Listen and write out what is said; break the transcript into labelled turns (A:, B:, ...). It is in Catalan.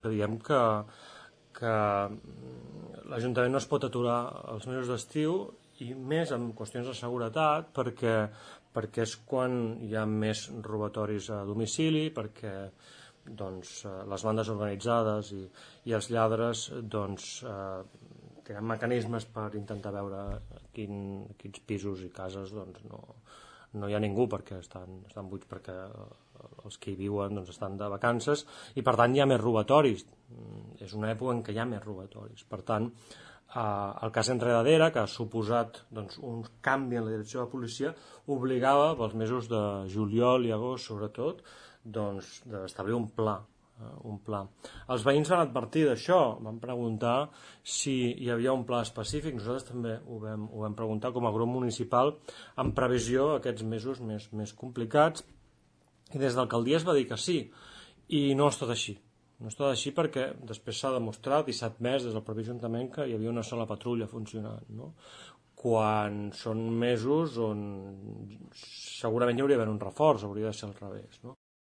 A: Diem que l'Ajuntament no es pot aturar els mesos d'estiu i més en qüestions de seguretat perquè és quan hi ha més robatoris a domicili, perquè les bandes organitzades i els lladres tenen mecanismes per intentar veure quins pisos i cases no hi ha ningú perquè estan buits, perquè els que hi viuen estan de vacances i per tant hi ha més robatoris. És una època en què hi ha més robatoris. Per tant, el cas Enredadera, que ha suposat un canvi en la direcció de la policia, obligava pels mesos de juliol i agost sobretot d'establir un pla. Els veïns van advertir d'això, van preguntar si hi havia un pla específic. Nosaltres també ho vam preguntar com a grup municipal en previsió aquests mesos més complicats, i des de l'alcaldia es va dir que sí, i no ha estat així. No ha estat així perquè després s'ha demostrat i s'ha admès des del propi Ajuntament que hi havia una sola patrulla funcionant, no? Quan són mesos on segurament hi hauria d'haver un reforç, hauria de ser al revés, no?